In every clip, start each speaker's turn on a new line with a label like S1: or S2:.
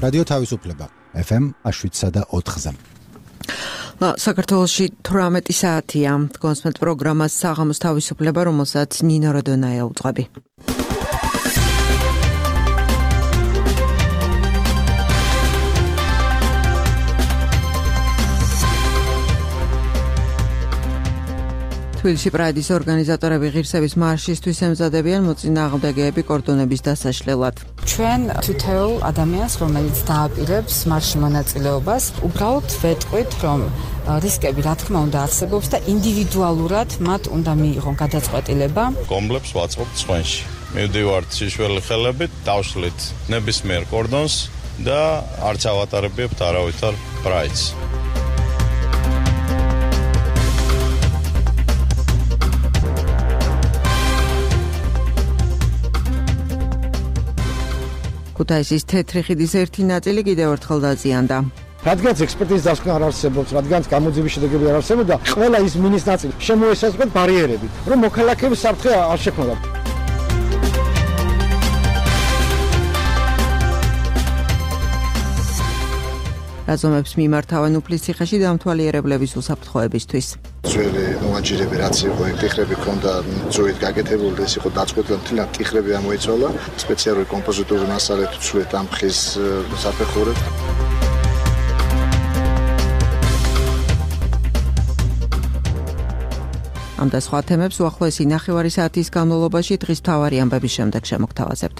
S1: რადიო თავისუფლება FM 7.4-ზე.
S2: საქართველოში 18 საათია. კონსმეთ პროგრამას საღამოს თავისუფლება, რომელსაც ნინო როდონაია უძღვები. თბილისში პრაიდის ორგანიზატორები ღირსების მარშისთვის ემზადებიან მოწინააღმდეგეები კორდონების დასაშლელად.
S3: ჩვენ თითოეულ ადამიანს, რომელიც დააპირებს მარშში მონაწილეობას, უბრალოდ ვეტყვით, რომ რისკები რა თქმა უნდა არსებობს და ინდივიდუალურად მათ უნდა მიიღონ გადაწყვეტილება.
S4: კომბლებს ვაწყობთ სხვენში. მივდივართ შიშველი ხელებით, დავშლით ნებისმიერ კორდონს და არც ავატარებებთ არავითარ პრაიდს.
S2: ქუთაისის თეთრი ხიდის ერთი ნაწილი კიდევ ერთხელ დაზიანდა.
S5: რადგანაც ექსპერტიზის დასკვნა არ არსებობს, რადგანაც გამოძიების შედეგები არ არსებობდა, ყველა ის მინის ნაწილი შემოესაზღვრეთ ბარიერები, რომ მოქალაქეების საფრთხე არ შექმნოდა.
S2: რაზომებს მიმართავენ უფლისციხეში დამთვალიერებლების უსაფრთხოებისთვის.
S6: ძველი მოაჯირები რაც იყო, ტიხრები ქონდა ძვით გაკეთებული და ეს იყო დაწყვეტილი, მთლიანად ტიხრები ამოიცვალა, სპეციალური კომპოზიტური მასალით ვცვლით ამ ხის საფეხურებს.
S2: ამ და სხვა თემებს უახლოესი ნახევარი საათის განმავლობაში დღის მთავარი ამბების შემდეგ შემოგთავაზებთ.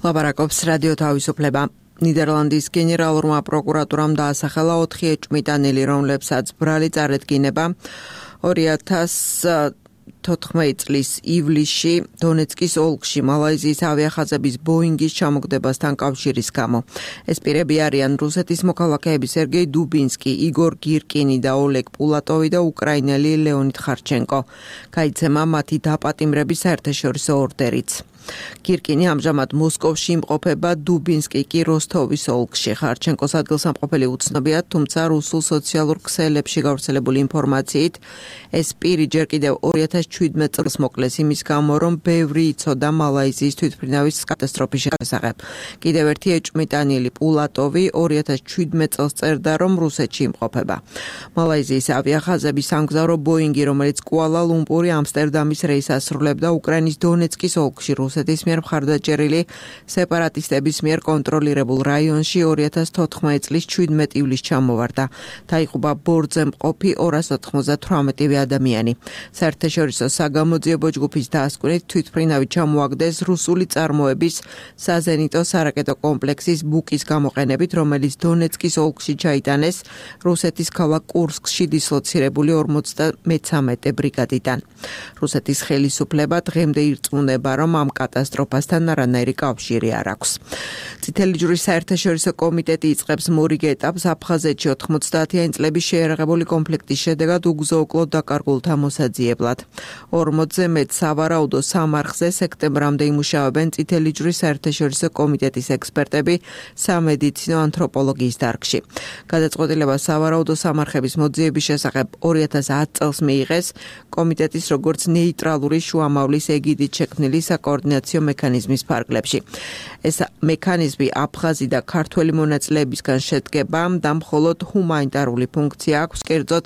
S2: ლაპარაკობს რადიო თავისუფლება. ნიდერლანდის გენერალურმა პროკურატურამ დაასახელა 4 ეჭვმიტანილი, რომლებსაც ბრალი წარედგინება 2014 წლის ივლისში დონეცკის ოლქში მალაიზიის ავიახაზების ბოინგის ჩამოგდებასთან კავშირის გამო. ეს პირები არიან რუსეთის მოქალაქეები სერგეი დუბინსკი, იგორ გირკინი და ოლეგ პულატოვი და უკრაინელი ლეონიდ ხარჩენკო. გაიცემა მათი დაპატიმრების საერთაშორისო ორდერიც. გირკინი ამჟამად მოსკოვში იმყოფება, დუბინსკი კი როსტოვის ოლქში. ხარჩენკოს ადგილსამყოფელი უცნობია, თუმცა რუსულ სოციალურ ქსელებში გავრცელებული ინფორმაციით ეს პირი ჯერ კიდევ 2017 წელს მოკლეს იმის გამო, რომ ბევრი იცოდა მალაიზიის თვითმფრინავის კატასტროფის შესახებ. კიდევ ერთი ეჭვმიტანილი პულატოვი 2017 წელს წერდა, რომ რუსეთში იმყოფება. მალაიზიის ავიახაზების სამგზავრო ბოინგი, რომელიც კუალა-ლუმპური ამსტერდამის რეისს ასრულებდა უკრაინის დონეცკის ოლქში რუსეთის მიერ მხარდაჭერილი სეპარატისტების მიერ კონტროლირებულ რაიონში 2014 წლის 17 ივლისს ჩამოვარდა. დაიღუპა ბორტზე მყოფი 298 ადამიანი. საერთაშორისო საგამოძიებო ჯგუფის დასკვნით თვითმფრინავი ჩამოაგდეს რუსული წარმოების საზენიტო სარაკეტო კომპლექსის ბუკის გამოყენებით, რომელიც დონეცკის ოლქში ჩაიტანეს რუსეთის ქალაქ კურსკში დისლოცირებული 53 ბრიგადიდან. რუსეთის ხელისუფლება დღემდე ირწმუნება, რომ ამ კატასტროფასთან არანაირი კავშირი არ აქვს. წითელი ჯვრის საერთაშორისო კომიტეტი იწყებს მორიგ ეტაპს აფხაზეთში 90-იანი წლების შეიარაღებული კონფლიქტის შედეგად უგზო-უკლოდ დაკარგულთა მოსაძიებლად. 40-ზე მეტ სავარაუდო სამარხზე სექტემბრამდე იმუშავებენ წითელი ჯვრის საერთაშორისო კომიტეტის ექსპერტები სამედიცინო ანთროპოლოგიის დარგში. გადაწყვეტილება სავარაუდო სამარხების მოძიების შესახებ 2010 წელს მიიღეს კომიტეტის როგორც ნეიტრალური შუამავლის ეგიდით შექმნილი საკოორდინაციო მექანიზმის ფარგლებში. ეს მექანიზმი აფხაზი და ქართველი მონაწილეებისგან შედგება და მხოლოდ ჰუმანიტარული ფუნქცია აქვს, კერძოდ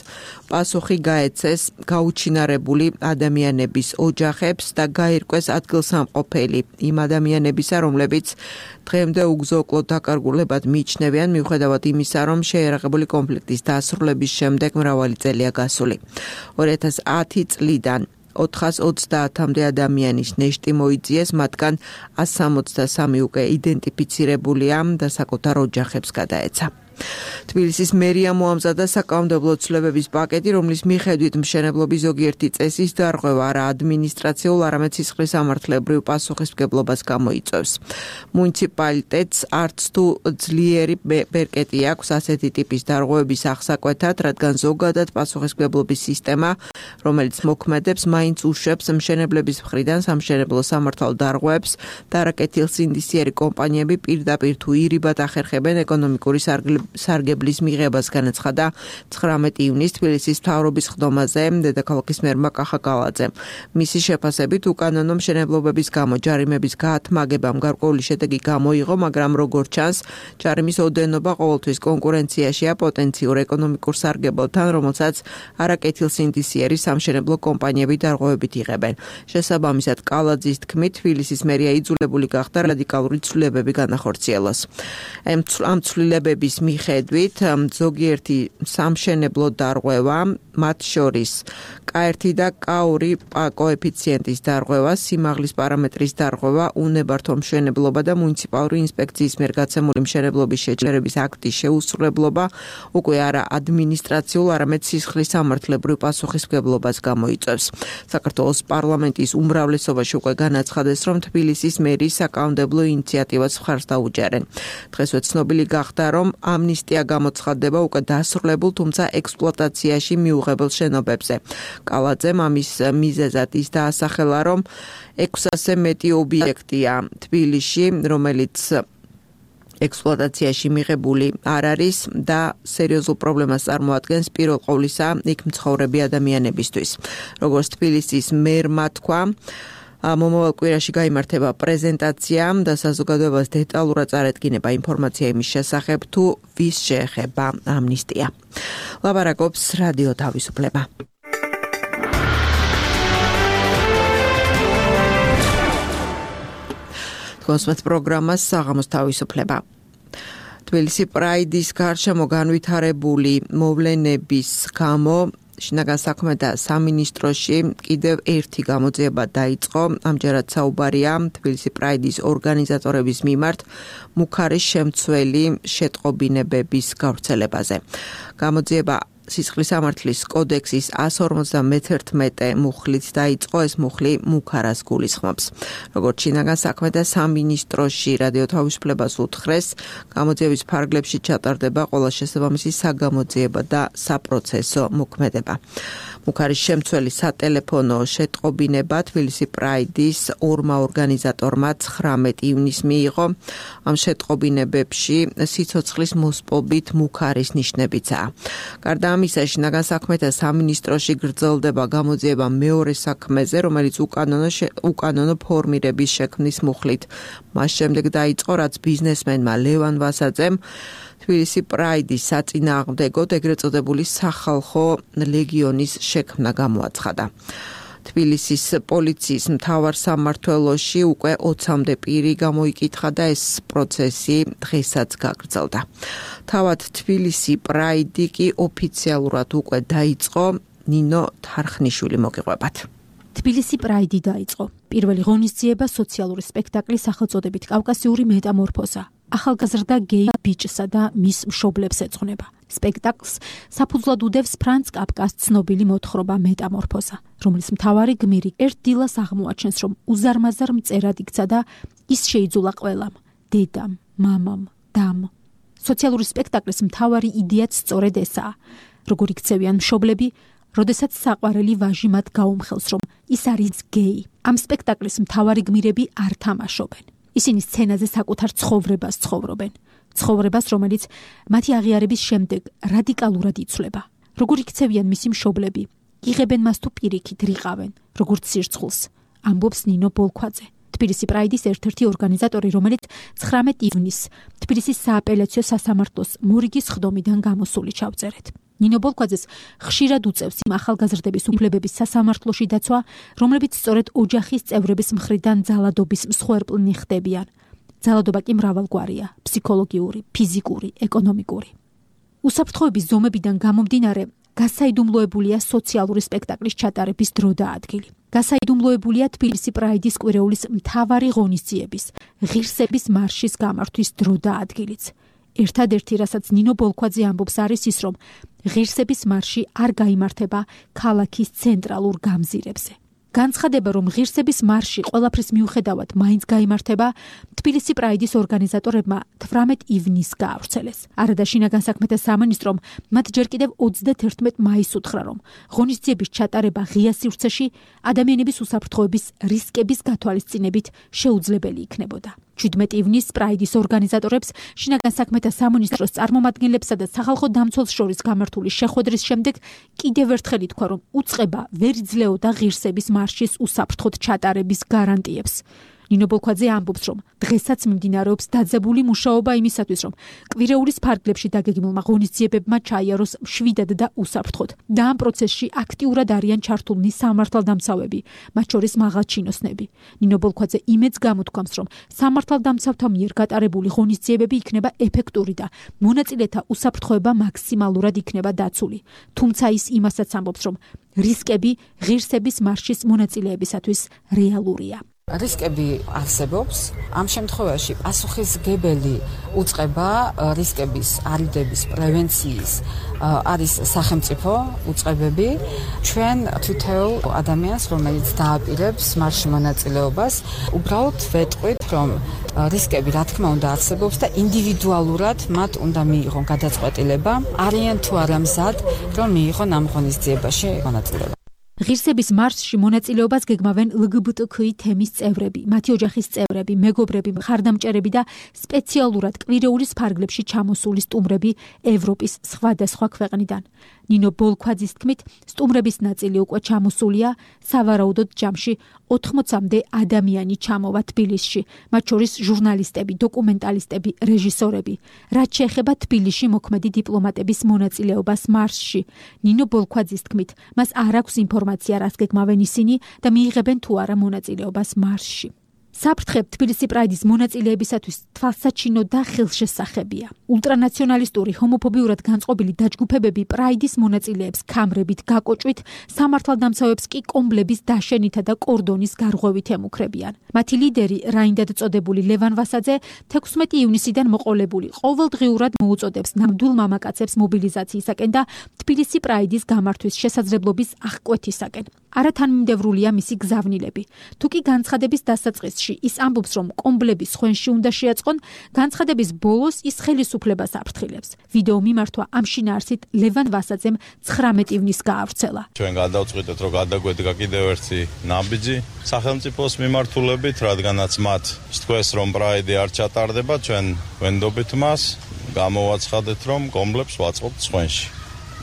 S2: პასუხი გაეცეს გაუჩინარებული ადამიანების ოჯახებს და გაირკვეს ადგილსამყოფელი იმ ადამიანებისა, რომლებიც დღემდე უგზო-უკლოდ დაკარგულებად მიიჩნევიან, მიუხედავად იმისა, რომ შეიარაღებული კონფლიქტის დასრულების შემდეგ მრავალი წელია გასული. 2010 წლიდან 430-მდე ადამიანის ნეშტი მოიძიეს, მათგან 163 უკვე იდენტიფიცირებულია და საკუთარ ოჯახებს გადაეცა. თბილისის მერია მოამზადა საკანონმდებლო ცვლილებების პაკეტი, რომლის მიხედვით მშენებლობის ზოგიერთი წესის დარღვევა არა ადმინისტრაციულ, არამედ სისხლისამართლებრივ პასუხისმგებლობას გამოიწვევს. მუნიციპალიტეტს არც თუ ძლიერი ბერკეტი აქვს ასეთი ტიპის დარღვევების აღსაკვეთად, რადგან ზოგადად პასუხისმგებლობის სისტემა, რომელიც მოქმედებს, მაინც უშვებს მშენებლების მხრიდან სამშენებლო სამართალ დარღვევებს და არაკეთილსინდისიერი კომპანიები პირდაპირ თუ ირიბად ახერხებენ ეკონომიკური სარგებლობის სარგებლის მიღებას განაცხადა 19 ივნისს თბილისის მთავრობის ხდომაზე დედაქალაქის მერმა კახა კალაძემ. მისი შეფასებით უკანონო მშენებლობების გამო ჯარიმების გაათმაგებამ გარკვეული შედეგი გამოიღო, მაგრამ როგორც ჩანს, ჯარიმის ოდენობა ყოველთვის კონკურენციაშია პოტენციურ ეკონომიკურ სარგებლობთან, რომელსაც არაკეთილსინდისიერი სამშენებლო კომპანიები დარღვევებით იღებენ. შესაბამისად, კალაძის თქმით, თბილისის მერია იძულებული გახდა რადიკალური ცვლილებები განახორციელოს. ამ ცვლილებების მიხედვით ზოგიერთი სამშენებლო დარღვევა, მათ შორის K1 და K2 კოეფიციენტის დარღვევა, სიმაღლის პარამეტრის დარღვევა, უნებართვო მშენებლობა და მუნიციპალური ინსპექციის მიერ გაცემული მშენებლობის შეჩერების აქტის შეუსრულებლობა უკვე არა ადმინისტრაციულ, არამედ სისხლის სამართლებრივ პასუხისმგებლობას გამოიწვევს. საქართველოს პარლამენტის უმრავლესობაში უკვე განაცხადეს, რომ თბილისის მერის საკანონმდებლო ინიციატივას მხარს დაუჯერენ. დღესვე ცნობილი გახდა, რომ ამნისტია გამოცხადდება უკვე დასრულებულ, თუმცა ექსპლუატაციაში მიუღებელ შენობებზე. კალაძემ ამის მიზეზად ის დაასახელა, რომ 600-ზე მეტი ობიექტია თბილისში, რომელიც ექსპლუატაციაში მიღებული არ არის და სერიოზულ პრობლემას წარმოადგენს პირველ ყოვლისა იქ მცხოვრები ადამიანებისთვის. როგორც თბილისის მერმა თქვა, მომავალ კვირაში გაიმართება პრეზენტაცია და საზოგადოებას დეტალურად წარედგინება ინფორმაცია იმის შესახებ, თუ ვის შეეხება ამნისტია. ლაპარაკობს რადიო თავისუფლება. კონსმეთ პროგრამას საღამოს თავისუფლება. თბილისი პრაიდის გარშემო განვითარებული მოვლენების გამო შინაგან საქმეთა სამინისტროში კიდევ ერთი გამოძიება დაიწყო. ამჯერად საუბარია თბილისი პრაიდის ორგანიზატორების მიმართ მუქარის შემცველი შეტყობინებების გავრცელებაზე. გამოძიება სისხლის სამართლის კოდექსის 151 მუხლით დაიწყო, ეს მუხლი მუქარას გულისხმობს. როგორც შინაგან საქმეთა სამინისტროში რადიო თავისუფლებას უთხრეს, გამოძიების ფარგლებში ჩატარდება ყველა შესაბამისი საგამოძიებო და საპროცესო მოქმედება. მუქარის შემცველი სატელეფონო შეტყობინება თბილისი პრაიდის ორმა ორგანიზატორმა 19 ივნისს მიიღო. ამ შეტყობინებებში სიცოცხლის მოსპობით მუქარის ნიშნებიცაა. გარდა ამისა, შინაგან საქმეთა სამინისტროში გრძელდება გამოძიება მეორე საქმეზე, რომელიც უკანონო ფორმირების შექმნის მუხლით. მას შემდეგ დაიწყო, რაც ბიზნესმენმა ლევან ვასაძემ თბილისი პრაიდის საწინააღმდეგოდ ეგრეთ წოდებული სახალხო ლეგიონის შექმნა გამოაცხადა. თბილისის პოლიციის მთავარ სამმართველოში უკვე 20-მდე პირი გამოიკითხა და ეს პროცესი დღესაც გაგრძელდა. თავად თბილისი პრაიდი კი ოფიციალურად უკვე დაიწყო. ნინო თარხნიშვილი მოგიყვებათ.
S7: თბილისი პრაიდი დაიწყო. პირველი ღონისძიება სოციალური სპექტაკლის სახელწოდებით კავკასიური მეტამორფოზა. ახალგაზრდა გეი ბიჭსა და მის მშობლებს ეძღვნება. სპექტაკლს საფუძვლად უდევს ფრანც კაფკას ცნობილი მოთხრობა მეტამორფოზა, რომლის მთავარი გმირი ერთ დილას აღმოაჩენს, რომ უზარმაზარ მწერად იქცა და ის შეიძულა ყველამ, დედამ, მამამ, დამ. სოციალური სპექტაკლის მთავარი იდეაც სწორედ ესაა. როგორ იქცევიან მშობლები, როდესაც საყვარელი ვაჟი მათ გაუმხელს, რომ ის არის გეი. ამ სპექტაკლის მთავარი გმირები არ თამაშობენ. ისინი სცენაზე საკუთარ ცხოვრებას ცხოვრობენ. ცხოვრებას, რომელიც მათი აღიარების შემდეგ რადიკალურად იცვლება. როგორ იქცევიან მისი მშობლები, იღებენ მას თუ პირიქით რიყავენ, როგორც სირცხულს, ამბობს ნინო ბოლქვაძე. თბილისი პრაიდის ერთ-ერთი ორგანიზატორი, რომელიც 19 ივნისს თბილისის სააპელაციო სასამართლოს მორიგის ხდომიდან გამოსული ჩავწერეთ. ნინო ბოლქვაძეს ხშირად უწევს იმ ახალგაზრდების უფლებების სასამართლოში დაცვა, რომლებიც სწორედ ოჯახის წევრების მხრიდან ძალადობის მსხვერპლნი ხდებიან. ძალადობა კი მრავალგვარია: ფსიქოლოგიური, ფიზიკური, ეკონომიკური. უსაფრთხოების ზომებიდან გამომდინარე, გასაიდუმლოებულია სოციალური სპექტაკლის ჩატარების დრო და ადგილი. გასაიდუმლოებულია თბილისი პრაიდის კვირეულის მთავარი ღონისძიების, ღირსების მარშის გამართვის დრო და ადგილიც. ერთადერთი, რასაც ნინო ბოლქვაძე ამბობს, არის ის, რომ ღირსების მარში არ გაიმართება ქალაქის ცენტრალურ გამზირებზე. განცხადება, რომ ღირსების მარში ყველაფრის მიუხედავად მაინც გაიმართება, თბილისი პრაიდის ორგანიზატორებმა 18 ივნისს გაავრცელეს. არადა შინაგან საქმეთა სამინისტრომ მათ ჯერ კიდევ 31 მაისს უთხრა, რომ ღონისძიების ჩატარება ღია სივრცეში ადამიანების უსაფრთხოების რისკების გათვალისწინებით შეუძლებელი იქნებოდა. 17 ივნისს პრაიდის ორგანიზატორებს შინაგან საქმეთა სამინისტროს წარმომადგენლებსა და სახალხო დამცველს შორის გამართული შეხვედრის შემდეგ კიდევ ერთხელ ითქვა, რომ უწყება ვერ იძლეოდა ღირსების მარშის უსაფრთხოდ ჩატარების გარანტიებს. ნინო ბოლქვაძე ამბობს, რომ დღესაც მიმდინარეობს დაძაბული მუშაობა იმისათვის, რომ კვირეულის ფარგლებში დაგეგმილმა ღონისძიებებმა ჩაიაროს მშვიდად და უსაფრთხოდ. და ამ პროცესში აქტიურად არიან ჩართულნი სამართალდამცავები, მათ შორის მაღალჩინოსნები. ნინო ბოლქვაძე იმედს გამოთქვამს, რომ სამართალდამცავთა მიერ გატარებული ღონისძიებები იქნება ეფექტური და მონაწილეთა უსაფრთხოება მაქსიმალურად იქნება დაცული. თუმცა ის იმასაც ამბობს, რომ რისკები ღირსების მარშის მონაწილეებისათვის რეალურია.
S3: რისკები არსებობს. ამ შემთხვევაში პასუხისმგებელი უწყება რისკების არიდების პრევენციის არის სახელმწიფო უწყებები. ჩვენ თითოეულ ადამიანს, რომელიც დააპირებს მარშში მონაწილეობას, უბრალოდ ვეტყვით, რომ რისკები რა თქმა უნდა არსებობს და ინდივიდუალურად მათ უნდა მიიღონ გადაწყვეტილება, არიან თუ არა მზად, რომ მიიღონ ამ ღონისძიებაში მონაწილეობა.
S7: ღირსების მარშში მონაწილეობას გეგმავენ LGBTQI თემის წევრები, მათი ოჯახის წევრები, მეგობრები, მხარდამჭერები და სპეციალურად კვირეულის ფარგლებში ჩამოსული სტუმრები ევროპის სხვადასხვა ქვეყნიდან. ნინო ბოლქვაძის თქმით, სტუმრების ნაწილი უკვე ჩამოსულია, სავარაუდოდ ჯამში 80-მდე ადამიანი ჩამოვა თბილისში, მათ შორის ჟურნალისტები, დოკუმენტალისტები, რეჟისორები. რაც შეეხება თბილისში მოქმედი დიპლომატების მონაწილეობას მარშში, ნინო ბოლქვაძის თქმით, მას არ აქვს ინფორმაცია, რას გეგმავენ ისინი და მიიღებენ თუ არა მონაწილეობას მარშში. საფრთხე თბილისი პრაიდის მონაწილეებისათვის თვალსაჩინო და ხელშესახებია. ულტრანაციონალისტური ჰომოფობიურად განწყობილი დაჯგუფებები პრაიდის მონაწილეებს ქამრებით გაკოჭვით, სამართალდამცავებს კი კომბლების დაშენითა და კორდონის გარღვევით ემუქრებიან. მათი ლიდერი, რაინდად წოდებული ლევან ვასაძე, 16 ივნისიდან მოყოლებული ყოველდღიურად მოუწოდებს ნამდვილ მამაკაცებს მობილიზაციისაკენ და თბილისი პრაიდის გამართვის შესაძლებლობის აღკვეთისაკენ. არათანმიმდევრულია მისი გზავნილები. თუკი განცხადების დასაწყისში ის ამბობს, რომ კომბლები სხვენში უნდა შეაწყონ, განცხადების ბოლოს ის ხელისუფლებას აფრთხილებს. ვიდეო მიმართვა ამ შინაარსით ლევან ვასაძემ 19 ივნისს გაავრცელა.
S4: ჩვენ გადავწყვიტეთ, რომ გადაგვედგა კიდევ ერთი ნაბიჯი სახელმწიფოს მიმართულებით, რადგანაც მათ სთქვეს, რომ პრაიდი არ ჩატარდება, ჩვენ ვენდობით მას, გამოვაცხადეთ, რომ კომბლებს ვაწყობთ სხვენში.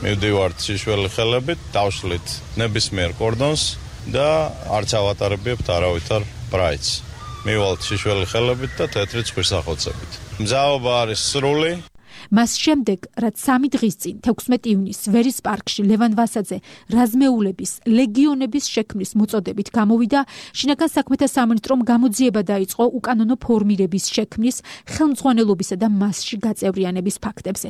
S4: მივდივართ შიშველი ხელებით, დავშლით ნებისმიერ კორდონს და არ ჩავატარებიებთ არავითარ პრაიდს. მივალთ შიშველი ხელებით და თეთრი ცხვირსახოცებით. მზაობა არის სრული.
S7: მას შემდეგ, რაც 3 დღის წინ 16 ივნისს ვერის პარკში ლევან ვასაძე რაზმეულების ლეგიონების შექმნის მოწოდებით გამოვიდა, შინაგან საქმეთა სამინისტრომ გამოძიება დაიწყო უკანონო ფორმირების შექმნის, ხელმძღვანელობისა და მასში გაწევრიანების ფაქტებზე.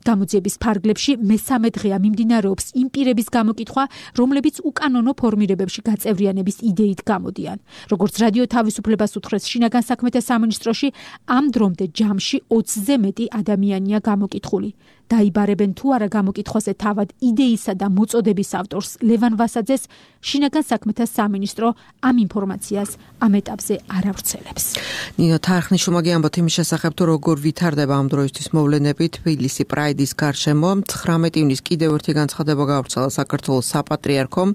S7: გამოძიების ფარგლებში მესამე დღეა მიმდინარეობს იმ პირების გამოკითხვა, რომლებიც უკანონო ფორმირებებში გაწევრიანების იდეით გამოდიან. როგორც რადიო თავისუფლებას უთხრეს შინაგან საქმეთა სამინისტროში, ამ დრომდე ჯამში 20-ზე მეტი ადამიანია გამოკითხული. დაიბარებენ თუ არა გამოკითხვაზე თავად იდეისა და მოწოდების ავტორს ლევან ვასაძეს, შინაგან საქმეთა სამინისტრო ამ ინფორმაციას ამ ეტაპზე არ ავრცელებს.
S2: ნინო თარხნიშვილმა გიამბოთ იმის შესახებ, თუ როგორ ვითარდება ამ დროისთვის მოვლენები თბილისი პრაიდის გარშემო. 19 ივნისს კიდევ ერთი განცხადება გაავრცელა საქართველოს საპატრიარქომ.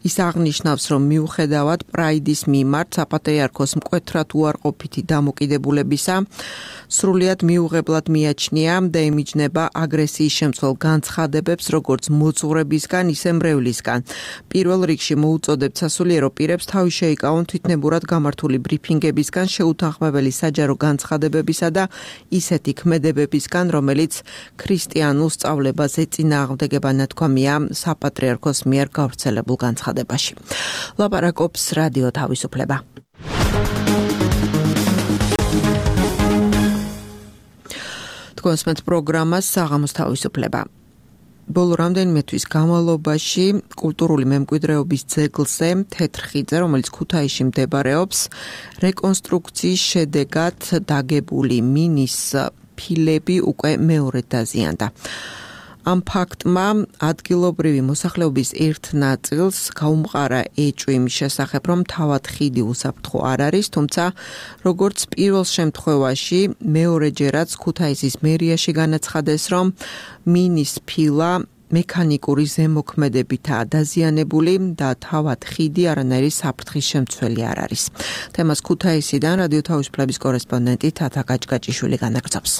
S2: ის აღნიშნავს, რომ მიუხედავად პრაიდის მიმართ საპატრიარქოს მკვეთრად უარყოფითი დამოკიდებულებისა, სრულიად მიუღებლად მიაჩნია და იმიჯნება აგრესიის შემცველ განცხადებებს, როგორც მოძღვრებისგან, ისე მრევლისგან. პირველ რიგში მოუწოდებთ სასულიერო პირებს თავი შეიკავონ თვითნებურად გამართული ბრიფინგებისგან, შეუთანხმებელი საჯარო განცხადებებისა და ისეთი ქმედებებისგან, რომელიც ქრისტიანულ სწავლებას ეწინააღმდეგება, ნათქვამია საპატრიარქოს მიერ გავრცელებულ განცხადებაში. ლაპარაკობს რადიო თავისუფლება. კონსპენთ პროგრამას საღამოს თავისუფლება. ბოლო რამდენიმე თვის განმავლობაში კულტურული მემკვიდრეობის ძეგლზე თეთრხიძე, რომელიც ქუთაისში მდებარეობს, რეკონსტრუქციის შედეგად დაგებული მინის ფილები უკვე მეორედ დაზიანდა. ამ ფაქტმა ადგილობრივი მოსახლეობის ერთ ნაწილს გაუმყარა ეჭვი იმის შესახებ, რომ თავად ხიდი უსაფრთხო არ არის, თუმცა როგორც პირველ შემთხვევაში მეორეჯერაც ქუთაისის მერიაში განაცხადეს, რომ მინის ფილა მექანიკური ზემოქმედებითაა დაზიანებული და თავად ხიდი არანაირი საფრთხის შემცველი არ არის. თემას ქუთაისიდან რადიო თავისუფლების კორესპონდენტი თათა გაჭგაჭიშვილი განაგრძობს.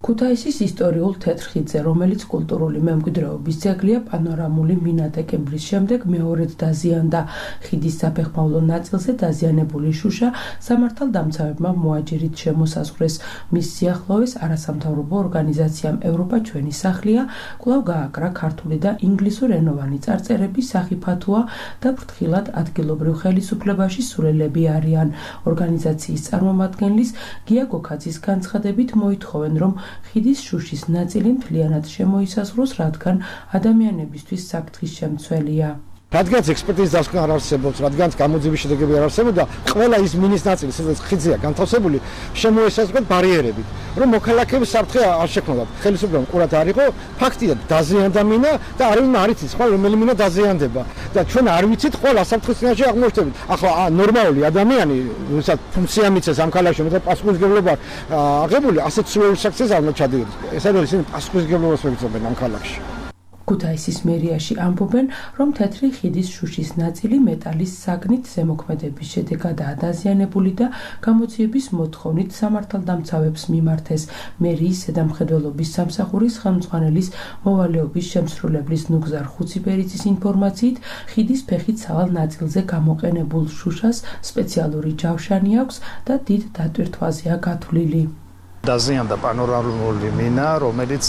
S8: ქუთაისის ისტორიულ თეთრ ხიდზე, რომელიც კულტურული მემკვიდრეობის ძეგლია, პანორამული მინა დეკემბრის შემდეგ მეორედ დაზიანდა. ხიდის საფეხმავლო ნაწილზე დაზიანებული შუშა სამართალდამცავებმა მოაჯირით შემოსაზღვრეს. მის სიახლოვეს არასამთავრობო ორგანიზაციამ ევროპა ჩვენი სახლია კვლავ გააკრა ქართული და ინგლისურენოვანი წარწერების სახიფათოა და ფრთხილად ადგილობრივ ხელისუფლებაში სულელები არიან. ორგანიზაციის წარმომადგენლის გია გოქაძის განცხადებით მოითხოვენ, რომ ხიდის შუშის ნაწილი მთლიანად შემოისაზღვროს, რადგან ადამიანებისთვის საფრთხის შემცველია.
S5: რადგანაც ექსპერტიზის დასკვნა არ არსებობს, რადგანაც გამოძიების შედეგები არ არსებობდა, ყველა ის მინის ნაწილი, სადაც ხიდზეა განთავსებული, შემოესაზღვროთ ბარიერებით, რომ მოქალაქეების საფრთხე არ შექმნათ. ხელისუფლებამ ყურად არ იყო, ფაქტია დაზიანდა მინა და არავინ არ იცის, ხო, რომელი მინა დაზიანდება და ჩვენ არ ვიცით, ხო, საფრთხის წინაშე აღმოჩნდებით. ახლა ნორმალური ადამიანი, ვისაც ფუნქცია მიცეს ამ ქალაქში, მეტად პასუხისმგებლობა აღებული, ასეთ სრულ საქციას არ მოჩადიოდეს. ეს არის ისინი პასუხისმგებლობას მიღწევენ ამ ქალაქში.
S8: ქუთაისის მერიაში ამბობენ, რომ თეთრი ხიდის შუშის ნაწილი მეტალის საგნით ზემოქმედების შედეგადაა დაზიანებული და გამოძიების მოთხოვნით სამართალდამცავებს მიმართეს. მერიის ზედამხედველობის სამსახურის ხელმძღვანელის მოვალეობის შემსრულებლის ნუგზარ ხუციბერიძის ინფორმაციით, ხიდის ფეხით სავალ ნაწილზე გამოყენებულ შუშას სპეციალური ჯავშანი აქვს და დიდ დატვირთვაზეა გათვლილი.
S9: დაზიანდა პანორამული მინა, რომელიც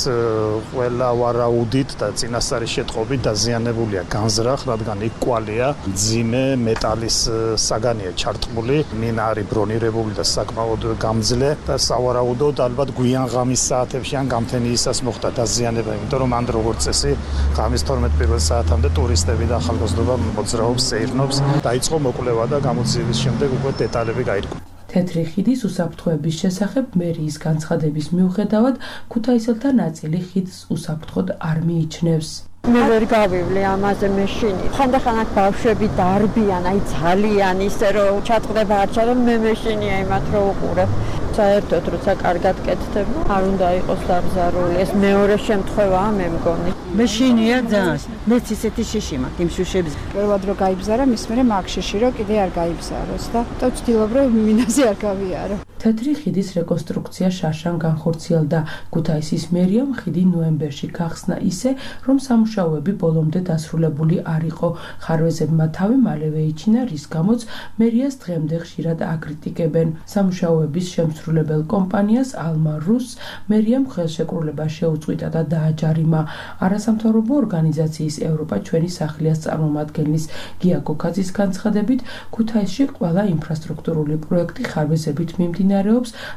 S9: ყველა ვარაუდით და წინასწარი შეტყობით დაზიანებულია განზრახ, რადგან იქ კვალია, მძიმე მეტალის საგანია ჩარტყმული, მინა არის ბრონირებული და საკმაოდ გამძლე და სავარაუდოდ ალბათ გვიან ღამის საათებში ან გამთენიისას მოხდა დაზიანება, იმიტომ რომ ამ როგორც წესი ღამის 12 პირველ საათამდე ტურისტები და ახალგაზრდობა მოძრაობს, სეირნობს, დაიწყო მოკვლევა და გამოძიების შემდეგ უკვე დეტალები გაირკვა.
S8: თეთრი ხიდის უსაფრთხოების შესახებ მერიის განცხადების მიუხედავად, ქუთაისელთა ნაწილი ხიდს უსაფრთხოდ არ მიიჩნევს.
S10: მე ვერ გავივლე ამაზე მეშინი. ხანდახან აქ ბავშვები დარბიან, აი ძალიან ისე რომ ჩატყდება არჩა, რომ მე მეშინია იმათ რომ უყურებ. საერთოდ როცა კარგად კეთდება, არ უნდა იყოს დაბზარული. ეს მეორე შემთხვევაა მე მგონი.
S11: მეშინია ძალიან. მეც ისეთი შიში მაქვს იმ შუშებს.
S12: პირველად რომ გაიბზარა, მის მერე მაგ შიში რომ კიდე არ გაიბზაროს და ვცდილობ რომ მინაზე არ გავიარო.
S8: თეთრი ხიდის რეკონსტრუქცია შარშან განხორციელდა. ქუთაისის მერიამ ხიდი ნოემბერში გახსნა ისე, რომ სამუშაოები ბოლომდე დასრულებული არ იყო. ხარვეზებმა თავი მალევე იჩინა, რის გამოც მერიას დღემდე ხშირად აკრიტიკებენ. სამუშაოების შემსრულებელ კომპანიას ალმა რუსს მერიამ ხელშეკრულება შეუწყვიტა და დააჯარიმა. არასამთავრობო ორგანიზაციის ევროპა ჩვენი სახლიას წარმომადგენლის გია გოქაძის განცხადებით, ქუთაისში ყველა ინფრასტრუქტურული პროექტი ხარვეზებით მიმდინარეობს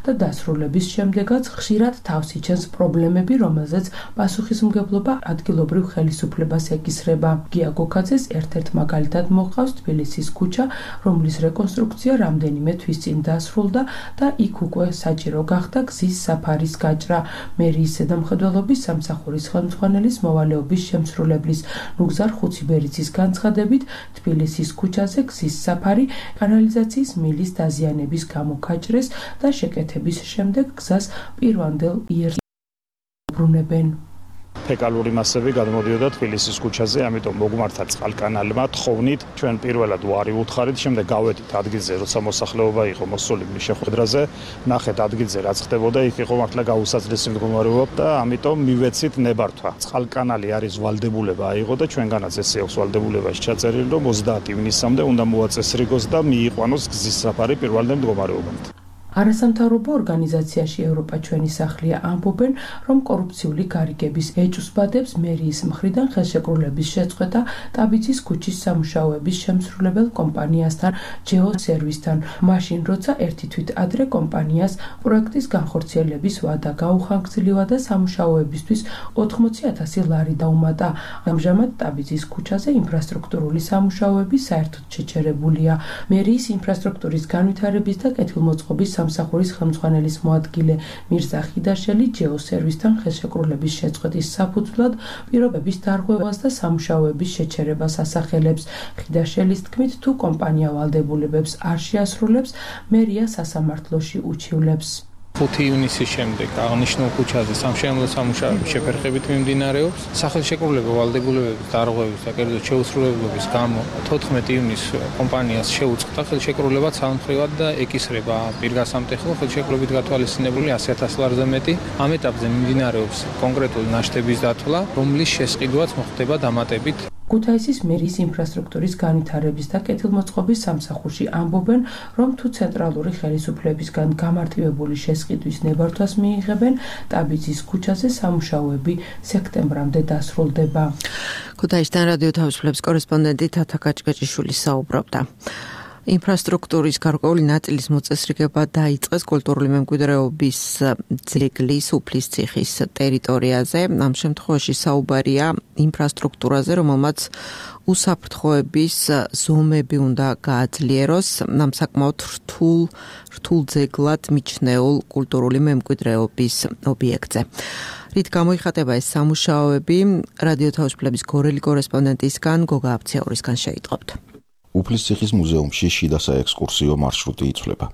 S8: და დასრულების შემდეგაც ხშირად თავს იჩენს პრობლემები, რომელზეც პასუხისმგებლობა ადგილობრივ ხელისუფლებას ეკისრება. გია გოქაძეს ერთ-ერთ მაგალითად მოჰყავს თბილისის ქუჩა, რომლის რეკონსტრუქცია რამდენიმე თვის წინ დასრულდა და იქ უკვე საჭირო გახდა გზის საფარის გაჭრა. მერიის ზედამხედველობის სამსახურის ხელმძღვანელის მოვალეობის შემსრულებლის ნუგზარ ხუციბერიძის განცხადებით, თბილისის ქუჩაზე გზის საფარი კანალიზაციის მილის დაზიანების გამო გაჭრეს და შეკეთების შემდეგ გზას პირვანდელ იერს ბრუნებენ.
S9: ფეკალური მასები გადმოდიოდა თბილისის ქუჩაზე, ამიტომ მოგმართა წყალკანალმა თხოვნით ჩვენ პირველად ვარი უთხარით, შემდეგ გავედით ადგილზე, როცა მოსახლეობა იყო მოსული შეხვედრაზე, ნახეთ ადგილზე რაც ხდებოდა, იქ იყო მართლა გაუსაძლესი მდგომარეობა და ამიტომ მივეცით ნებართვა. წყალკანალი არის ვალდებულება აიღო და ჩვენგანაც ესე აქვს ვალდებულებაში ჩაწერილი, რომ 30 ივნისამდე უნდა მოაწესრიგოს და მიიყვანოს გზის საფარი პირველად მდგომარეობამდე.
S8: არასამთავრობო ორგანიზაციაში ევროპა ჩვენი სახლია ამბობენ, რომ კორუფციული გარიგების ეჭვსბადებს მერიის მხრიდან ხელშეკრულების შეწყვეტა ტაბიძის ქუჩის სამუშაოების შემსრულებელ კომპანიასთან ჯეო სერვისთან. მაშინ როცა ერთი თვით ადრე კომპანიას პროექტის განხორციელების ვადა გაუხანგრძლივა და სამუშაოებისთვის 80,000 ლარი დაუმატა. ამჟამად ტაბიძის ქუჩაზე ინფრასტრუქტურული სამუშაოები საერთოდ შეჩერებულია. მერიის ინფრასტრუქტურის განვითარების და კეთილმოწყობის სამსახურის ხელმძღვანელის მოადგილე მირზა ხიდაშელი ჯეო სერვისთან ხელშეკრულების შეწყვეტის საფუძვლად პირობების დარღვევას და სამუშაოების შეჩერებას ასახელებს. ხიდაშელის თქმით, თუ კომპანია ვალდებულებებს არ შეასრულებს, მერია სასამართლოში უჩივლებს.
S13: 5 ივნისის შემდეგ აღნიშნულ ქუჩაზე სამშენებლო სამუშაოების შეფერხებით მიმდინარეობს. სახელშეკრულება ვალდებულებების დარღვევის და კერძოდ შეუსრულებლობის გამო 14 ივნისს კომპანიას შეუწყდა ხელშეკრულება ცალმხრივად და ეკისრება პირგასამტეხო ხელშეკრულებით გათვალისწინებული 100,000 ლარზე მეტი. ამ ეტაპზე მიმდინარეობს კონკრეტული ნაშთების დათვლა, რომლის შესყიდვაც მოხდება დამატებით.
S8: ქუთაისის მერის ინფრასტრუქტურის განვითარების და კეთილმოწყობის სამსახურში ამბობენ, რომ თუ ცენტრალური ხელისუფლებისგან გამარტივებული შესყიდვის ნებართვას მიიღებენ, ტაბიძის ქუჩაზე სამუშაოები სექტემბრამდე დასრულდება.
S2: ქუთაისთან რადიო თავისუფლების კორესპონდენტი თათა კაჭკაჭიშვილი საუბრობდა. ინფრასტრუქტურის გარკვეული ნაწილის მოწესრიგება დაიწყეს კულტურული მემკვიდრეობის ძეგლის უფლისციხის ტერიტორიაზე. ამ შემთხვევაში საუბარია ინფრასტრუქტურაზე, რომელმაც უსაფრთხოების ზომები უნდა გააძლიეროს. ამ საკმაოდ რთულ ძეგლად მიჩნეულ კულტურული მემკვიდრეობის ობიექტზე. რით გამოიხატება ეს სამუშაოები, რადიო თავისუფლების გორელი კორესპონდენტისგან გოგა აფციაურისგან შეიტყობთ.
S14: უფლისციხის მუზეუმში შიდა საექსკურსიო მარშრუტი იცვლება.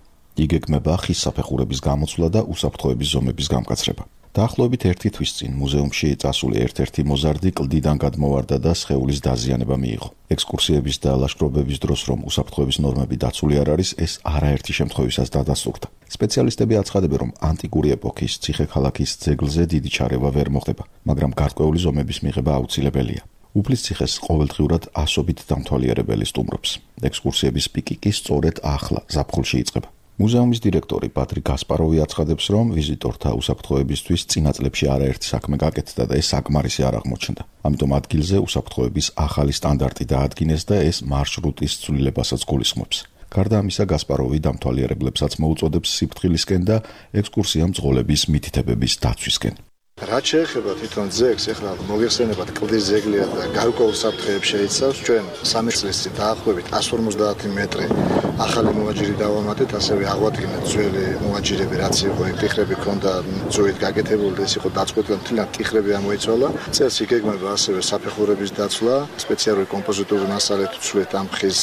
S14: იგეგმება ხის საფეხურების გამოცვლა და უსაფრთხოების ზომების გამკაცრება. დაახლოებით 1 თვის წინ მუზეუმში წასული ერთ-ერთი მოზარდი კლდიდან გადმოვარდა და სხეულის დაზიანება მიიღო. ექსკურსიების და ლაშქრობების დროს რომ უსაფრთხოების ნორმები დაცული არ არის, ეს არაერთი შემთხვევისას დადასტურდა. სპეციალისტები აცხადებენ, რომ ანტიკური ეპოქის ციხე-ქალაქის ძეგლზე დიდი ჩარევა ვერ მოხდება, მაგრამ გარკვეული ზომების მიღება აუცილებელია. უფლისციხეს ყოველდღიურად ასობით დამთვალიერებელი სტუმრობს. ექსკურსიების პიკი კი სწორედ ახლა ზაფხულში იწყება. მუზეუმის დირექტორი პატრიკ გასპაროვი აცხადებს, რომ ვიზიტორთა უსაფრთხოებისთვის წინა წლებში არაერთი საქმე გაკეთდა და ეს საკმარისი არ აღმოჩნდა. ამიტომ ადგილზე უსაფრთხოების ახალი სტანდარტი დაადგინეს და ეს მარშრუტის ცვლილებასაც გულისხმობს. გარდა ამისა, გასპაროვი დამთვალიერებლებსაც მოუწოდებს სიფრთხილისკენ და ექსკურსიამ წყოლების მითითებების დაცვისკენ.
S6: რაც შეეხება თვითონ ძეგლს, ეხლა მოიხსენებათ კლდის ძეგლია და გარკვეულ საფრთხეებს შეიცავს. ჩვენ 3 წლის წინ დაახლოებით 150 მეტრი ახალი მოაჯირი დავამატეთ, ასევე აღვადგინეთ ძველი მოაჯირები, რაც იყო ტიხრები ქონდა ძვით გაკეთებული და ეს იყო დაწყვეტილი, მთლიან ტიხრები ამოიცვალა. წელს იგეგმება ასევე საფეხურების დაცვა, სპეციალური კომპოზიტური მასალით ვცვლით ამ ხის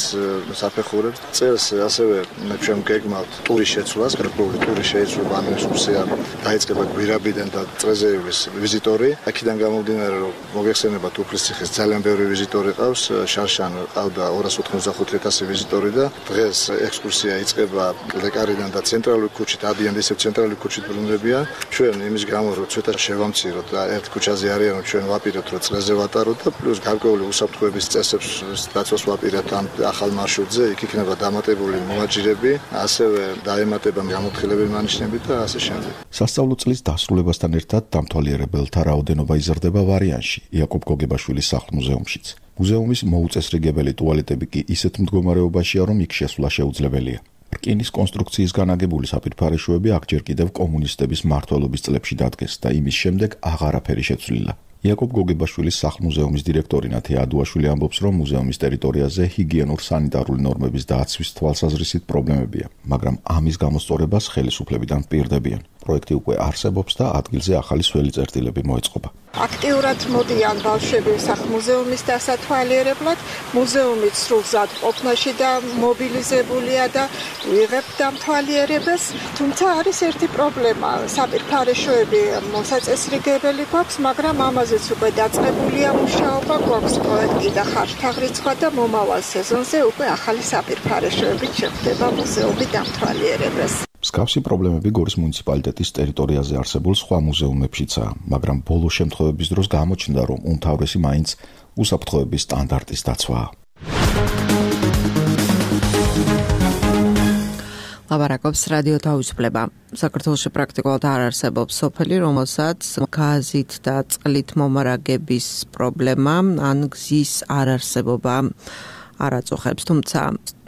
S6: საფეხურებს. წელს ასევე ჩვენ გეგმავთ ტურის შეცვლას, გარკვეული ტური შეიცვლება ამ ექსკურსია დაიწყება გვირაბიდან და წრეზე ვიზიტორი. აქედან გამომდინარე, რომ მოიხსენებათ უფლისციხეს ძალიან ბევრი ვიზიტორი ყავს, შარშან ყავდა 285,000 ვიზიტორი და დღეს ექსკურსია იწყება ლეკარიდან და ცენტრალური ქუჩით, ადიან ისევ ცენტრალური ქუჩით ბრუნდებიან. ჩვენ იმის გამო, რომ ცოტა შევამციროთ და ერთ ქუჩაზე არიან, რომ ჩვენ ვაპირებთ, რომ წრეზე ვატაროთ და პლუს გარკვეული უსაფრთხოების წესებს დაცვას ვაპირებთ ამ ახალ მარშრუტზე. იქ იქნება დამატებული მოაჯირები, ასევე დაემატება გამოთხილებელი მანიშნები და ასე შემდეგ.
S14: სასწავლო წლის დასრულებასთან ერთად დამთვალიერებელთა რაოდენობა იზრდება ვარიანში, იაკობ გოგებაშვილის სახლ-მუზეუმშიც. მუზეუმის მოუწესრიგებელი ტუალეტები კი ისეთ მდგომარეობაშია, რომ იქ შესვლა შეუძლებელია. რკინის კონსტრუქციის განაგებული საფირფარეშოები აქ ჯერ კიდევ კომუნისტების მმართველობის წლებში დადგეს და იმის შემდეგ აღარაფერი შეცვლილა. იაკობ გოგებაშვილის სახლ-მუზეუმის დირექტორი ნათია ადუაშვილი ამბობს, რომ მუზეუმის ტერიტორიაზე ჰიგიენურ-სანიტარული ნორმების დაცვის თვალსაზრისით პრობლემებია, მაგრამ ამის გამოსწორებას ხელისუფლებიდან პირდებიან. პროექტი უკვე არსებობს და ადგილზე ახალი სველი წერტილები მოეწყობა.
S15: აქტიურად მოდიან ბავშვები სახლ-მუზეუმის დასათვალიერებლად, მუზეუმი სრულზად ყოფნაში და მობილიზებულია და ვიღებთ დამთვალიერებას, თუმცა არის ერთი პრობლემა, საპირფარეშოები მოსაწესრიგებელი გვაქვს, მაგრამ ამაზეც უკვე დაწყებულია მუშაობა, გვაქვს პროექტი და ხარჯთაღრიცხვა და მომავალ სეზონზე უკვე ახალი საპირფარეშოებით შეხვდება მუზეუმი დამთვალიერებას.
S14: მსგავსი პრობლემები გორის მუნიციპალიტეტის ტერიტორიაზე არსებულ სხვა მუზეუმებშიცაა, მაგრამ ბოლო შემთხვევების დროს გამოჩნდა, რომ უმთავრესი მაინც უსაფრთხოების სტანდარტის დაცვაა.
S2: ლაბარაკობს რადიო თავისუფლება. საქართველოში პრაქტიკულად არ არსებობს სოფელი, რომელსაც გაზით და წყლით მომარაგების პრობლემა ან გზის არარსებობა არ აწუხებს, თუმცა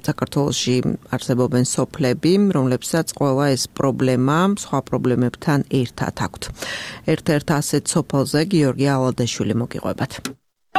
S2: საქართველოში არსებობენ სოფლები, რომლებსაც ყველა ეს პრობლემა სხვა პრობლემებთან ერთად აქვთ. ერთ-ერთ ასეთ სოფელზე გიორგი ალადაშვილი მოგიყვებათ.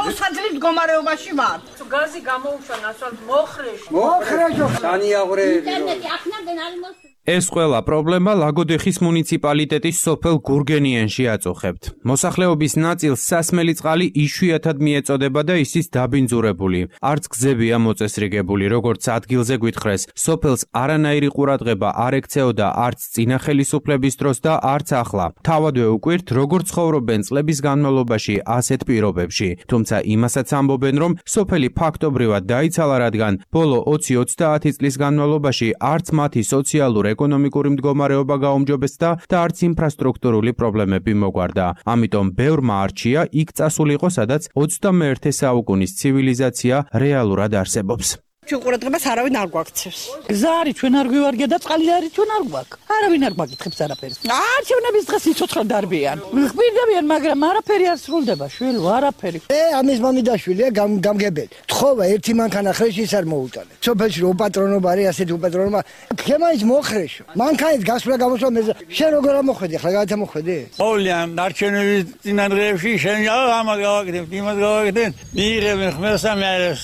S16: უსაძლებთ მდგომარეობაში ვარ.
S17: გაზი გამოუშვა ნაცვლად მოხრეშ.
S16: მოხრეშ.
S17: სანიაღვრე.
S16: ინტერნეტი აქნამდენ არ მოსწონს.
S17: ეს ყველა პრობლემა ლაგოდეხის მუნიციპალიტეტის სოფელ გურგენიანში აწუხებთ. მოსახლეობის ნაწილს სასმელი წყალი იშვიათად მიეწოდება და ისიც დაბინძურებული. არც გზებია მოწესრიგებული, როგორც ადგილზე გვითხრეს. სოფელს არანაირი ყურადღება არ ექცეოდა არც წინა ხელისუფლების დროს და არც ახლა. თავადვე უკვირთ, როგორ ცხოვრობენ წლების განმავლობაში ასეთ პირობებში. თუმცა იმასაც ამბობენ, რომ სოფელი ფაქტობრივად დაიცალა, რადგან ბოლო 20-30 წლის განმავლობაში არც მათი სოციალური ეკონომიკური მდგომარეობა გაუმჯობესდა და არც ინფრასტრუქტურული პრობლემები მოგვარდა. ამიტომ ბევრმა არჩია იქ წასულიყო, სადაც 21 საუკუნის ცივილიზაცია რეალურად არსებობს.
S16: ჩვენ ყურადღებას არავინ არ გვაქცევს.
S11: გზა არის, ჩვენ არ გვივარგია და წყალი არის, ჩვენ არ გვაქვს. არავინ არ გვაკითხებს არაფერს. არჩევნების დღეს სიცოცხლე დარბიან. ხმირდებიან, მაგრამ არაფერი არ სრულდება, შვილო, არაფერი.
S18: ამის მამიდაშვილია გამგებელი. თხოვა ერთი მანქანა ხრეშის არ მოუტანე. სოფელში უპატრონობა არის, ასეთი უპატრონობა. ქემაის მოხრეშო. მანქანის გასვლა გამოსვლა მე შენ როგორ ამოხვედი, ახლა გადამოხვედი?
S19: ყოველიან არჩევნების წინადღეებში შენ ამას გავაკეთებ, იმას გავაკეთებ. მიიღებენ ხმელსა მე არის.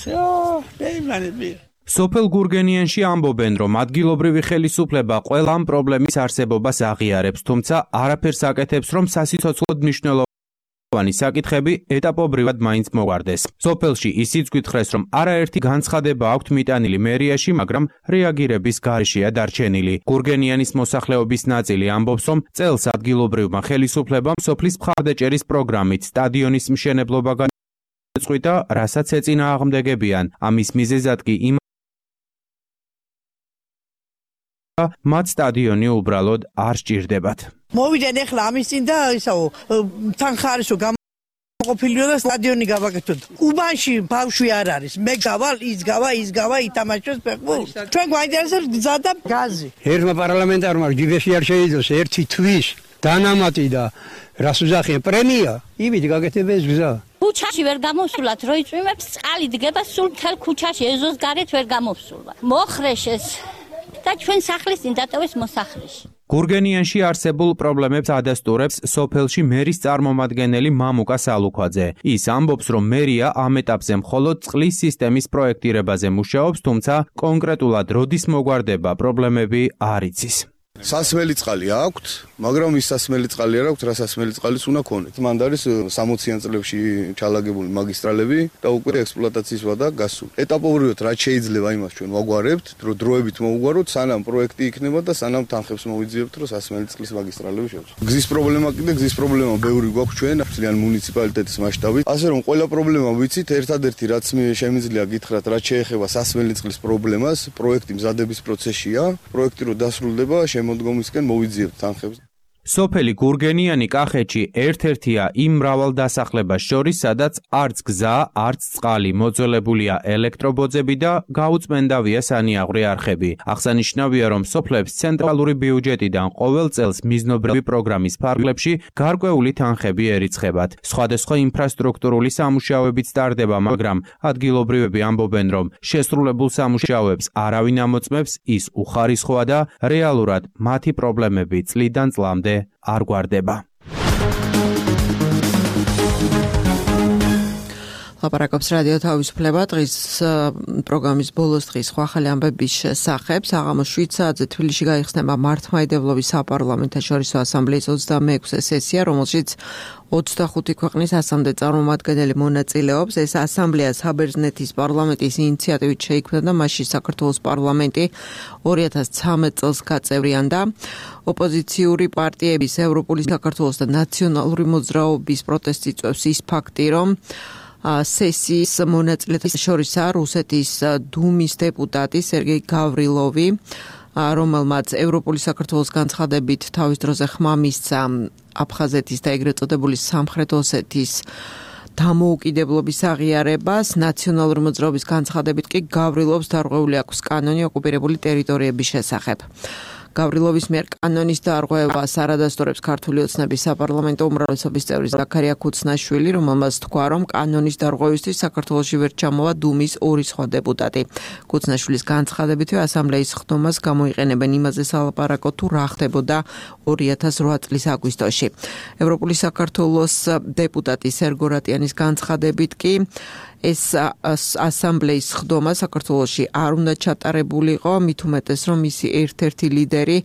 S19: ეიმანები
S17: სოფელ გურგენიანში ამბობენ, რომ ადგილობრივი ხელისუფლება ყველა ამ პრობლემის არსებობას აღიარებს, თუმცა არაფერს აკეთებს, რომ სასიცოცხლოდ მნიშვნელოვანი საკითხები ეტაპობრივად მაინც მოგვარდეს. სოფელში ისიც გითხრეს, რომ არაერთი განცხადება აქვთ მიტანილი მერიაში, მაგრამ რეაგირების გარეშეა დარჩენილი. გურგენიანის მოსახლეობის ნაწილი ამბობს, რომ წელს ადგილობრივმა ხელისუფლებამ სოფლის მხარდაჭერის პროგრამით სტადიონის მშენებლობა წყვიტა, რასაც ეწინააღმდეგებიან. ამის მიზეზად კი მათ სტადიონი უბრალოდ არ სჭირდებათ.
S16: მოვიდნენ ახლა ამის წინ და ისაო თან ხარისო გამოყოფილიო და სტადიონი გავაკეთოთ. უბანში ბავშვი არ არის. მე გავალ, ის გავა, ითამაშოს ფეხბურთს. ჩვენ გვაინტერესებს გზა და გაზი.
S20: ერთმა პარლამენტარმა ჯიბეში არ შეიძოს ერთი თვის დანამატი და რას უზახიან პრემია, იმით გაკეთებდეს გზა.
S21: ქუჩაში ვერ გამოსულათ, რო იწვიმებს წყალი დგება სულ მთელ ქუჩაში, ეზოს გარეთ ვერ გამოსულა. მოხრეშეს და ჩვენ სახლის წინ დატოვეს მოსახლეში.
S17: გურგენიანში არსებულ პრობლემებს ადასტურებს სოფელში მერის წარმომადგენელი მამუკა სალუქვაძე. ის ამბობს, რომ მერია ამ ეტაპზე მხოლოდ წყლის სისტემის პროექტირებაზე მუშაობს, თუმცა კონკრეტულად როდის მოგვარდება პრობლემები არ იცის.
S22: სასმელი წყალი აქვთ, მაგრამ ის სასმელი წყალი არ აქვთ, რა სასმელი წყალის უნდა ქონეთ. მანდ არის 60-იან წლებში ჩალაგებული მაგისტრალები და უკვე ექსპლუატაციის ვადა გასული. ეტაპობრივად რაც შეიძლება იმას ჩვენ ვაგვარებთ, დროებით მოვუგვაროთ, სანამ პროექტი იქნება და სანამ თანხებს მოვიძიებთ, რომ სასმელი წყლის მაგისტრალები შევწყვეტ. გზის პრობლემა კიდე გზის პრობლემა ბევრი გვაქვს ჩვენ, ძალიან მუნიციპალიტეტის მასშტაბით. ასე რომ ყველა პრობლემა ვიცით, ერთადერთი რაც შემიძლია გითხრათ, რაც შეეხება სასმელი წყლის პრობლემას, პროექტი მზადების პროცესშია, პროექტი რო დასრულდება, შემოდგომისკენ მოვიძიებთ თანხებს.
S17: სოფელი გურგენიანი კახეთში ერთ-ერთია იმ მრავალ დასახლებას შორის, სადაც არც გზა, არც წყალი, მოძველებულია ელექტრობოძები და გაუწმენდავია სანიაღვრე არხები. აღსანიშნავია, რომ სოფლებს ცენტრალური ბიუჯეტიდან ყოველ წელს მიზნობრივი პროგრამის ფარგლებში გარკვეული თანხები ერიცხებათ. სხვადასხვა ინფრასტრუქტურული სამუშაოებიც ტარდება, მაგრამ ადგილობრივები ამბობენ, რომ შესრულებულ სამუშაოებს არავინ ამოწმებს, ის უხარისხოა და რეალურად მათი პრობლემები წლიდან წლამდე არ გვარდება.
S2: ლაპარაკობს რადიო თავისუფლება დღის პროგრამის ბოლოს დღის ახალი ამბების შესახებ. საღამოს 7 საათზე თბილისში გაიხსნება მართლმადიდებლობის საპარლამენტო შორისო ასამბლეის 26-ე სესია, რომელშიც 25 ქვეყნის ასამდე წარმომადგენელი მონაწილეობს. ეს ასამბლეა საბერძნეთის პარლამენტის ინიციატივით შეიქმნა და მასში საქართველოს პარლამენტი 2013 წელს გაწევრიანდა. ოპოზიციური პარტიების ევროპული საქართველოს და ნაციონალური მოძრაობის პროტესტი წვევს ის ფაქტი, რომ სესიის მონაწილეთა შორისაა რუსეთის დუმის დეპუტატი სერგეი გავრილოვი, რომელმაც ევროპული საქართველოს განცხადებით თავის დროზე ხმა მისცა აფხაზეთის და ეგრეთ წოდებული სამხრეთ ოსეთის დამოუკიდებლობის აღიარებას. ნაციონალური მოძრაობის განცხადებით კი გავრილოვს დარღვეული აქვს კანონი ოკუპირებული ტერიტორიების შესახებ. გავრილოვის მიერ კანონის დარღვევას არადასტურებს ქართული ოცნების საპარლამენტო უმრავლესობის წევრი ზაქარია ქუცნაშვილი, რომელმაც თქვა, რომ კანონის დარღვევისთვის საქართველოში ვერ ჩამოვა დუმის ორი სხვა დეპუტატი. ქუცნაშვილის განცხადებითვე ასამბლეის ხდომას გამოიყენებენ იმაზე სალაპარაკო თუ რა ხდებოდა 2008 წლის აგვისტოში. ევროპული საქართველოს დეპუტატი სერგო რატიანის განცხადებით კი ეს ასამბლეის ხდომა საქართველოში არ უნდა ჩატარებულიყო, მით უმეტეს რომ მისი ერთ-ერთი ლიდერი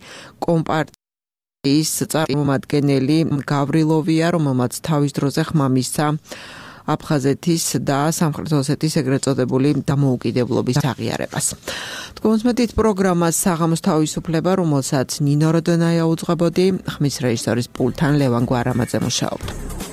S2: კომპარტიის წარმომადგენელი გავრილოვია, რომელმაც თავის დროზე ხმა მისცა აფხაზეთის და სამხრეთ ოსეთის ეგრეთ წოდებული დამოუკიდებლობის აღიარებას. თქვენს პროგრამას საღამოს თავისუფლება, რომელსაც ნინო როდონაია უძღვებოდი, ხმის რეჟისორის პულტთან ლევან გვარამაძე მუშაობდა.